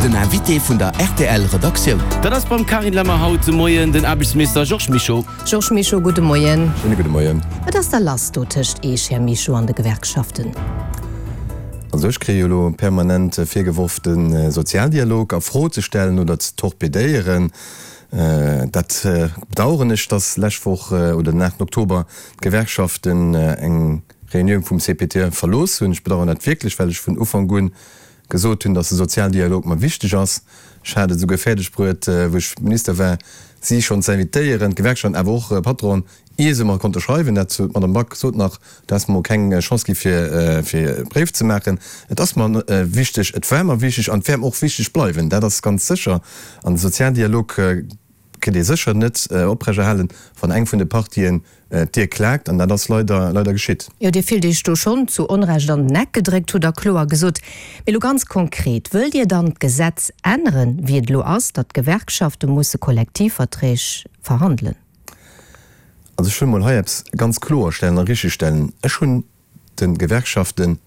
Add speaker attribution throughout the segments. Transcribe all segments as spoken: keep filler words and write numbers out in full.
Speaker 1: Den Invité vun der R T L Redaktioun.
Speaker 2: Dat ass beim Carine Lemmer haut de Moien den Aarbechtsminister Georges Mischo.
Speaker 3: Georges Mischo, gudde Moien.
Speaker 4: Schéine gudde Moien.
Speaker 3: Wat ass da lass do tëscht Iech, Här Mischo, an de Gewerkschaften?
Speaker 4: Also ech kréie jo elo permanent virgeworf, de Sozialdialog a Fro ze stellen oder ze torpedéieren. Dat bedauern ech, dass lescht Woch oder den aachten Oktober d'Gewerkschaften eng Reunioun vum C P T E verlooss hunn. Ech bedauern dat wierklech, well ech vun Ufank un gesot hunn, dass de Sozialdialog mer wichteg ass. Ech hat et esouguer fäerdeg bruet, wou ech Minister war, si schonn ze invitéieren, d'Gewerkschaften, awer och Patronen, ier se mer konnte schreiwen. Dat sot d'Madame Back sot nach, du häss mer keng Chance gi fir fir e Bréif ze maachen. Et ass mer wichteg, et war mer wichteg an et wäert mer och wichteg bleiwen, dat ass ganz sécher. An de Sozialdialog kritt ee sécher net oprechterhalen, wann eng vun de Partien d'Dier klaakt, an dat ass leider leider geschitt.
Speaker 3: Jo, Dir fillt Iech do schonn zu Onrecht an den Eck gedréckt, hutt Der kloer gesot. Mee elo ganz konkret, Wëllt Dir dann d'Gesetz änneren, wéi et elo ass, datt d'Gewerkschafte musse Kollektivverträg verhandelen?
Speaker 4: Also ech wëll mol hei eppes ganz kloerstellen a richtegstellen, Ech hunn de Gewerkschaften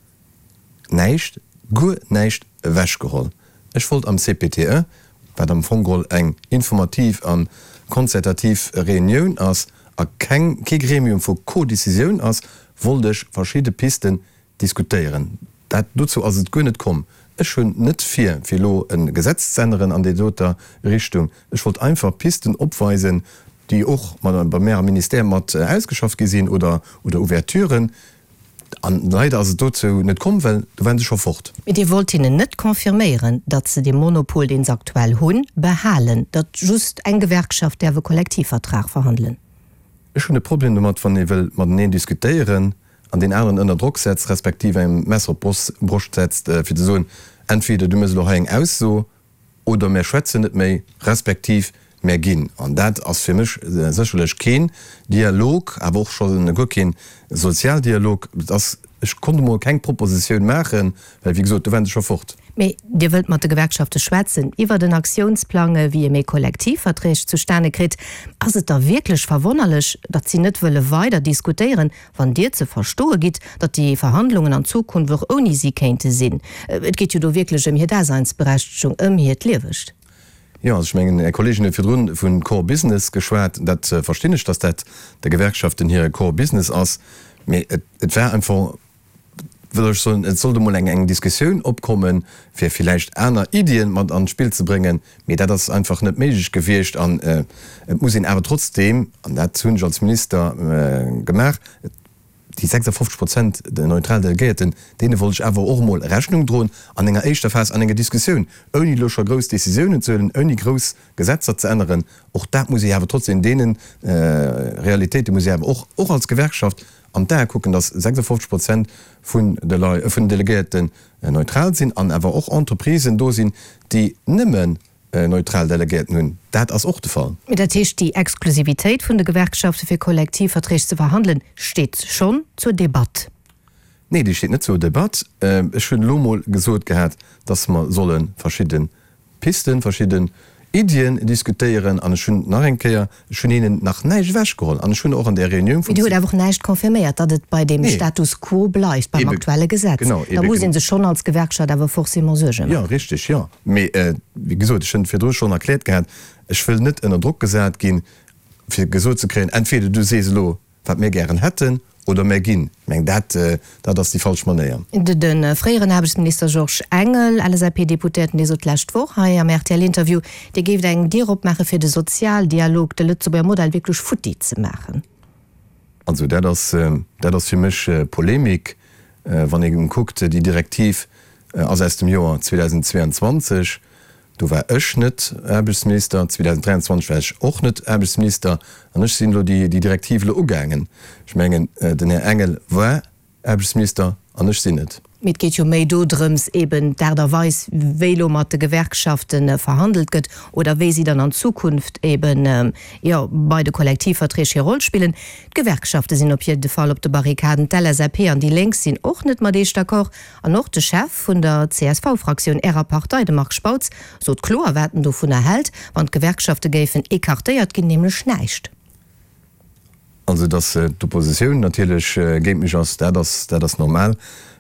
Speaker 4: näischt, guer näischt ewechgeholl. Ech wollt am C P T E, wat am Fong geholl eng informativ a konzertativ Reunioun ass a keng, kee Gremium vu Co-Decisioun ass, wollt ech verschidde Pisten diskutéieren. Dat, dozou ass et guer net komm. Ech hunn net vir, fir elo e Gesetz ze änneren an déi doter Richtung. Ech wollt einfach Pisten opweisen, déi och bei mär am Ministère mat ausgeschafft gi sinn, oder, oder Ouverturen. An leider ass et dozou net komm, well do waren se scho fort.
Speaker 3: Mee Dir wollt hinnen net confirméieren, datt se dee Monopol, deen se aktuell hunn, behalen, datt just eng Gewerkschaft däerf e Kollektivvertrag verhandelen?
Speaker 4: Ech hunn e Problem domat, wann ee wëll mateneen diskutéieren an deen aneren ënner Drock setzt, respektiv engem d'Messer op d'Broscht setzt, fir ze soen, entweder du méchs elo hei eng Ausso oder mär schwätzen net méi, respektiv mär ginn. An dat ass fir mech sécherlech keen Dialog, awer och scho guer keen Sozialdialog. Et ass, ech konnt emol keng Propositioun maachen, well wéi gesot, do waren se scho fort.
Speaker 3: Mee Dir wëllt mat de Gewerkschafte schwätzen iwwert en Aktiounsplang, wéi ee méi Kollektivverträg zustane kritt. Ass et da wierklech verwonnerlech, datt si net wëlle weider diskutéieren, wann Dir ze verstoe gitt, datt déi Verhandlungen an Zukunft och ouni si kéinte sinn? Et geet jo do wierklech ëm hir Daseinsberechtegung, ëm hiert Liewegt.
Speaker 4: Jo, also ech mengen, Är Kolleegin huet virdrun vu Core Business geschwat. Dat verstinn ech, datt dat de Gewerkschaften hire Core Business ass. Mee et war einfach, wëll ech soen, et sollt emol eng eng Diskussioun opkommen, fir villäicht aner Iddien mat an d'Spill ze bréngen. Mee dat ass einfach net méiglech gewiescht. An et muss een awer trotzdeem, an dat hunn ech als Minister gemaach, déi sechsafofzeg Prozent neutral Delegéierten, deene wollt ech awer och emol Rechnung droen an enger éischter Phas, an enger Diskussioun, ouni elo scho grouss Décisiounen ze huelen, ouni grouss Gesetzer ze änneren. Och dat muss ee awer trotzdem deene Realitéite muss ee awer och, och als Gewerkschaft an d'Ae kucken, datt sechsafofzeg Prozent vun de Lei, vun den Delegéierten neutral sinn an awer och Entreprisen do sinn, déi nëmmen neutral Delegéierten hunn. Dat ass och de Fall.
Speaker 3: Mee dat heescht, déi Exklusivitéit vun de Gewerkschafte fir Kollektivverträg ze verhandelen, steet schonn zur Debatt?
Speaker 4: Nee, déi steet net zur Debatt. Ech hunn elo mol gesot gehat, datt mer solle verschidde Pisten, verschidden Iddien diskutéieren. An ech hunn nach eng Kéier, ech hunn hinnen nach näischt ewechgeholl. An ech hunn och an där Reunioun
Speaker 3: vum. Mee Dir hutt awer och näischt confirméiert, datt et bei deem Status quo bleift, beim aktuelle Gesetz.
Speaker 4: Genau,
Speaker 3: Da muss ee sech schonn als Gewerkschaft awer forcément Suerge
Speaker 4: maachen. Jo, richteg, jo. Mee wéi gesot, ech hunn et virdru schonn erkläert gehat, ech wëll net ënner Drock gesat ginn, fir gesot ze kréien, entweder du sees elo, wat mir gären hätten, oder mär ginn. Ech mengen, dat, dat ass déi falsch Manéier.
Speaker 3: De fréieren Aarbechtsminister Georges Engel, L S A P-Deputéierten, dee sot d'lescht Woch hei am R T L-Interview, Dir géift eng Dier opmaache fir de Sozialdialog, de Lëtzebuerger Modell wierklech futti ze maachen.
Speaker 4: Also dat ass, dat ass fir mech Polemik. Wann ee kuckt, déi Direktiv ass aus dem Joer zweedausendzweeanzwanzeg. Do war ech net Aarbechtsminister, zweedausenddräianzwanzeg war ech och net Aarbechtsminister an ech sinn elo déi Direktiv elo ugaangen. Ech mengen, den Här Engel war Aarbechtsminister an ech sinn et.
Speaker 3: Mee et geet jo méi dodrëms, eben d'Aart a Weis, wéi elo mat de Gewerkschafte verhandelt gëtt oder wéi si dann an Zukunft eben, jo, bei de Kollektivverträg hir Roll spillen. D'Gewerkschafte sinn op jidde Fall op de Barrikaden. D'L S A P an déi Lénk sinn och net mat Iech d'accord. An och de Chef vun der C S V-Fraktioun, Ärer Partei, de Marc Spautz, sot kloer, wat en dovunner hält, wann d'Gewerkschafte géifen écartéiert ginn, nämlech näischt.
Speaker 4: Also, datt d'Oppositioun natierlech géint mech ass, dat ass, dat ass normal.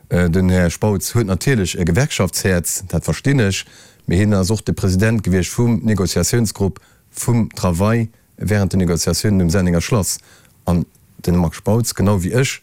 Speaker 4: Den Här Spautz huet natierlech e Gewerkschaftshäerz, dat verstinn ech. Mee hien ass och de President gewiescht vum Negociatiounsgrupp vum Travail während den Negociatiounen um Sennenger Schlass. An de Marc Spautz, genau wéi ech,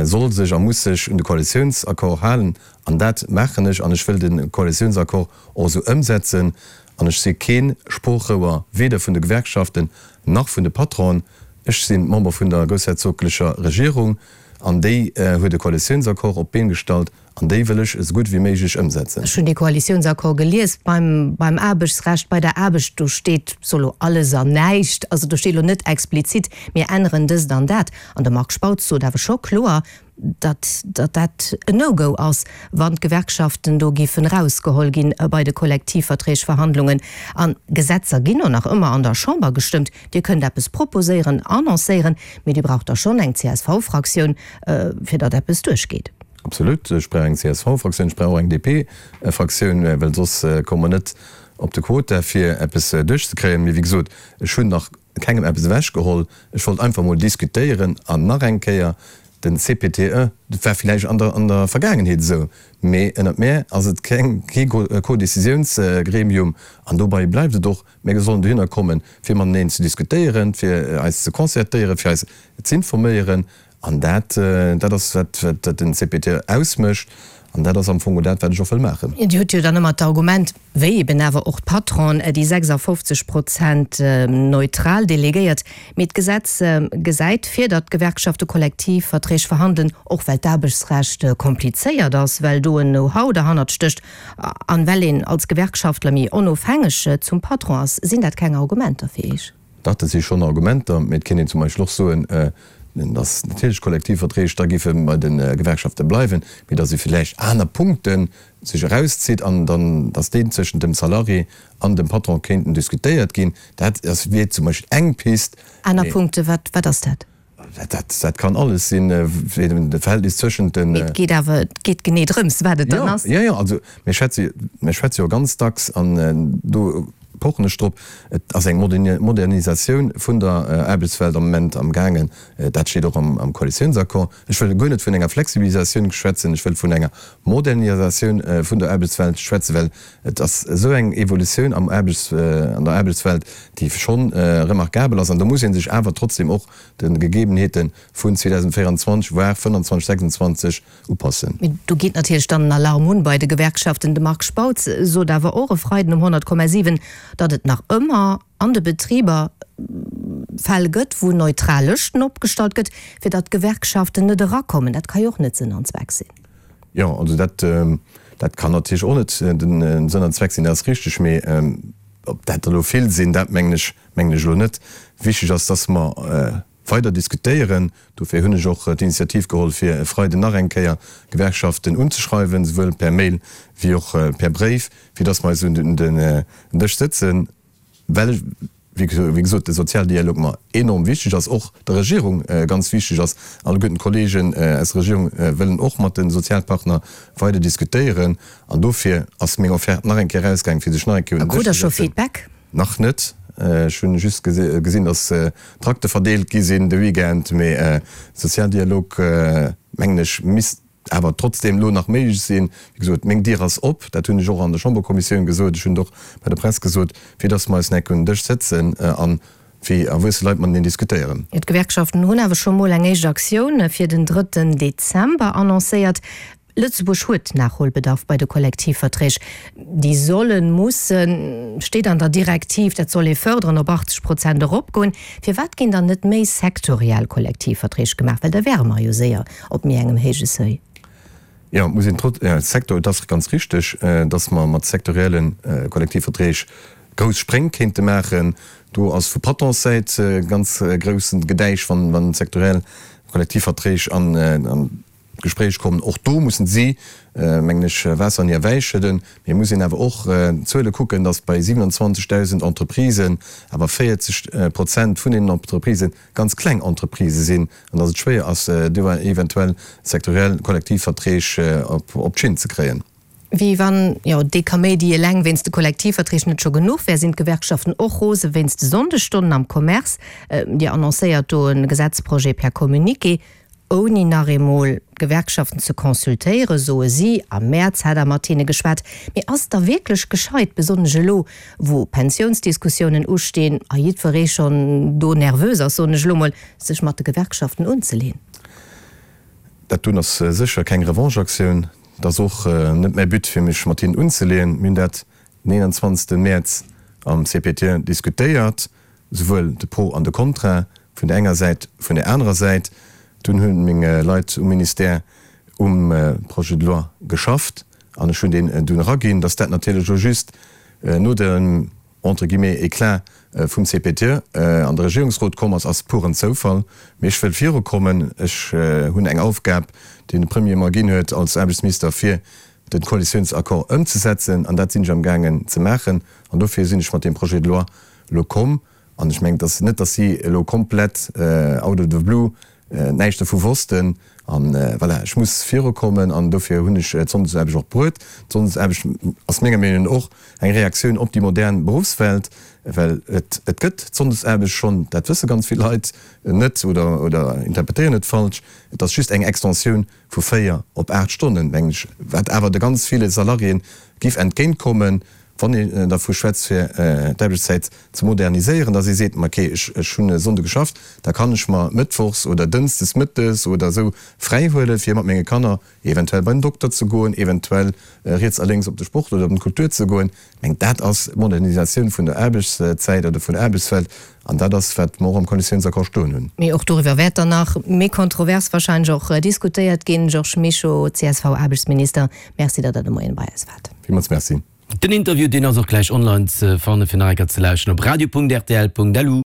Speaker 4: soll sech a muss sech un de Koalitiounsaccord halen. An dat maachen ech. An ech wëll de Koalitiounsaccord och esou ëmsetzen. An ech si kee Sproochrouer, weder vun de Gewerkschaften nach vun de Patronen. Ech si Member vun der groussherzoglecher Regierung an déi huet e Koalitiounsaccord op d'Been gestallt an déi wëll ech esou gutt wéi méiglech ëmsetzen.
Speaker 3: Ech hunn dee Koalitiounsaccord gelies. Beim, beim Aarbechtsrecht, bei der Aarbecht, do steet so elo alles an näischt. Also do steet elo net explizit, mir änneren dëst an dat. An de Marc Spautz sot awer scho kloer, datt, datt dat en No-Go ass, wann d'Gewerkschaften do géifen erausgeholl ginn bei de Kollektivverträgverhandlungen. An Gesetzer ginn och nach ëmmer an der Chamber gestëmmt. Dir kënnt eppes proposéieren, annoncéieren, mee Dir braucht da schonn eng C S V-Fraktioun, fir datt eppes duerchgeet.
Speaker 4: Absolut. Ech brauch eng C S V-Fraktioun, ech brauch och eng D P-Fraktioun, well soss komme mer net op de Quota, fir eppes duerchzekréien. Mee wéi gesot, ech hunn nach kengem eppes ewechgeholl. Ech wollt einfach mol diskutéieren. An nach eng Kéier, Den C P T E, dat war villäicht an der an der Vergaangenheet esou, mee ënnert mär ass et keng kee Codécisiounsgremium an dobei bleift et och. Mir sollen dohinner kommen, fir mateneen ze diskutéieren, fir eis ze concertéieren, fir eis z'informéieren an dat dat ass wat wat den C P T E ausmécht an dat ass am Fong och dat, wat ech och wëll maachen.
Speaker 3: Dir hutt jo dann ëmmer d'Argument, wéi eben awer och d'Patronen, déi sechsafofzeg Prozent neutral delegéiert. Mee d'Gesetz gesäit vir, datt d'Gewerkschafte Kollektivverträg verhandelen, och well d'Aarbechtsrecht komplizéiert ass, well do en Know-how derhannert stécht an well een als Gewerkschaftler méi onofhängeg zum Patron ass. Sinn dat keng Argumenter fir Iech?
Speaker 4: Dach, dat si schonn Argumenter. Mee et kéint een zum Beispill och soen, datt natierlech Kollektivverträg da géife bei de Gewerkschafte bleiwen, mee datt ee villäicht aner Punkte sech erauszitt an dann, datt déi zwëschent dem Salarié an dem Patron kéinten diskutéiert ginn. Dat ass, wier zum Beispill eng Pist.
Speaker 3: Aner Punkte, wat, wat ass dat?
Speaker 4: Dat, dat kann alles sinn, wéi de Verhältnis zwëschent den.
Speaker 3: Mee et geet awer, et geet genee drëms, wat et dann ass.
Speaker 4: Jo, jo, also mir schwätze, mir schwätze jo ganz dacks an do pochen ech drop, et ass eng Modernisatioun vun der Aarbechtswelt am Moment am gaangen. Dat steet och am Koalitiounsaccord. Ech wëll guer net vun enger Flexibilisatioun schwätzen, ech wëll vun enger Modernisatioun vun der Aarbechtswelt schwätzen, well et ass esou eng Evolutioun am Aarbechts, an der Aarbechtswelt, déi schonn remarkabel ass. An do muss ee sech awer trotzdem och de Gegebenheete vun zweedausendvéieranzwanzeg, voire fënnanzwanzeg, sechsanzwanzeg upassen.
Speaker 3: Mee do geet natierlech dann en Alarm un bei de Gewerkschaften. De Marc Spautz sot awer och e Freiden um honnert Komma siwen, datt et nach ëmmer an de Betriber Fäll gëtt, wou neutral Lëschten opgestallt gëtt, fir datt d'Gewerkschaften net erakommen. Dat ka jo och net Sënn an Zweck sinn.
Speaker 4: Jo, also dat, dat kann natierlech och net den Sënn an Zweck sinn, dat ass richteg. Mee ob dat der elo vill sinn, dat mengen ech, mengen ech elo net. Wichteg ass, datt mer weider diskutéieren. Dofir hunn ech och d'Initiativ geholl, fir e Freiden nach eng Kéier d'Gewerkschaften unzeschreiwen, souwuel per Mail wéi och per Bréif, fir datt mer eis un den Dësch sëtzen, well, wéi gesot, de Sozialdialog mer enorm wichteg ass, och der Regierung ganz wichteg ass. Alleguerten d'Kollegen aus der Regierung wëllen och mat de Sozialpartner weider diskutéieren. An dofir ass meng Offerte nach eng Kéier erausgaangen, fir sech nach eng Kéier un den
Speaker 3: Krut
Speaker 4: Dësch
Speaker 3: Der
Speaker 4: ze
Speaker 3: scho
Speaker 4: sëtzen.
Speaker 3: Feedback?
Speaker 4: Nach net. Ech hunn just gesinn, dass Trakte verdeelt gi sinn de Weekend, mee Sozialdialog, mengen ech, misst awer trotzdeem elo nach méiglech sinn. Wéi gesot, meng Dier ass op, dat hunn ech och an der Chamberkommissioun gesot, ech hunn et och bei der Press gesot, fir dass mer eis enk un den Dësch sëtzen a wéi erwuesse Leit mateneen diskutéieren.
Speaker 3: D'Gewerkschaften hunn awer scho mol eng éischt Aktioun fir den drëtten Dezember annoncéiert. Lëtzebuerg huet Nachholbedarf bei de Kollektivverträg. Déi sollen, mussen, steet an der Direktiv, dat soll ee fërderen, op achtzeg Prozent eropgoen. Firwat ginn dann net méi sektoriell Kollektivverträg gemaach? Well da wäre mer jo séier op méi engem héije Seuil.
Speaker 4: Jo, et muss een trotz, jo, Sektor, et ass ganz richteg, datt mer mat sektorielle Kollektivverträg grouss Spréng kéinte maachen. Do ass vu Patronssäit ganz groussen Gedäisch, wann sektoriell Kollektivverträg an d'Gespréich kommen. Och do mussen si, mengen ech, Waasser an hir Wäi schëdden. Mee et muss een awer och d'Zuele kucken, datt bei siewenundzwanzigdausend Entreprisen awer véierzeg Prozent vun deenen Entreprisë ganz kleng Entreprisë sinn an datt et schwéier ass, do eventuell sektoriell Kollektivverträg op d'Schinn ze kréien.
Speaker 3: Wéi wann, jo, dee Kaméidi eleng wéinst de Kollektivverträg net scho genuch wär, sinn d'Gewerkschaften och rose wéinst de Sonndesstonnen am Commerce. Dir annoncéiert do e Gesetzprojet per Communiqué. ouni nach eemol d'Gewerkschaften ze consultéieren, soe si. Am Mäerz hätt Der mat hinne geschwat. Mee ass et da wierklech gescheit, besonnesch elo, wou Pensiounsdiskussiounen ustinn a jiddweree schonn do nervös ass, soen ech elo mol, sech mat de Gewerkschaften unzeleeën?
Speaker 4: Dat doen ass sécher keng Revancheaktioun. Et ass och net mäi But, fir mech mat hinnen unzeleeën. Mir hunn dat den eenanzwanzegste Mäerz am C P T diskutéiert, souwuel de Pro an de Contra vun der enger Säit, vun der anerer Säit. Dunn hunn meng Leit um Ministère um Projet de loi geschafft an ech hunn deen dunn eraginn. Dass dat natierlech elo just no dem, entre guillemets, Éclat vum C P T an de Regierungsrot komm ass, ass puren Zoufall. Mee ech wëll virukommen. Ech hunn eng Aufgab, déi de Premier mer ginn huet als Aarbechtsminister, fir de Koalitiounsaccord ëmzesetzen, an dat sinn ech amgaangen ze maachen. An dofir sinn ech mat deem Projet de loi elo komm. An ech mengen, et ass net, datt si elo komplett out of the blue näischt dovu wossten. An voilà, ech muss virukommen an dofir hunn ech d'Sonndesaarbecht och bruet. D'Sonndesaarbecht ass menger Meenung no och eng Reaktioun op déi modern Beruffswelt, well et et gëtt d'Sonndesaarbecht schonn, dat wësse ganz vill Leit net oder oder interpretéieren et falsch. Et ass just eng Extensioun vu véier op aacht Stonnen, mengen ech, wat awer de ganz ville Salariéen giff entgéintkommen, wann een dervu schwätzt fir d'Aarbechtszäit ze moderniséieren, datt ee seet, ma okay, ech ech hunn e Sonnde geschafft, da kann ech mer mëttwochs oder dënschdes mëttes oder esou fräi huelen, fir mat menge Kanner eventuell bei den Dokter ze goen, eventuell riets a lénks op de Sport oder op d'Kultur ze goen. Ech mengen, dat ass d'Modernisatioun vun der Aarbechtszäit oder vun der Aarbechtswelt an dat ass, wat mer och am Koalitiounsaccord stoen hunn.
Speaker 3: Mee och doriwwer wäert dann nach méi kontrovers wahrscheinlech och diskutéiert ginn. Georges Mischo, C S V-Aarbechtsminister, Merci, datt Der de Moien bei eis waart.
Speaker 4: Villmools Merci.
Speaker 2: Den Interview deen ass och gläich online ze fannen fir nach eng Kéier ze lauschteren op radio Punkt R T L Punkt L U.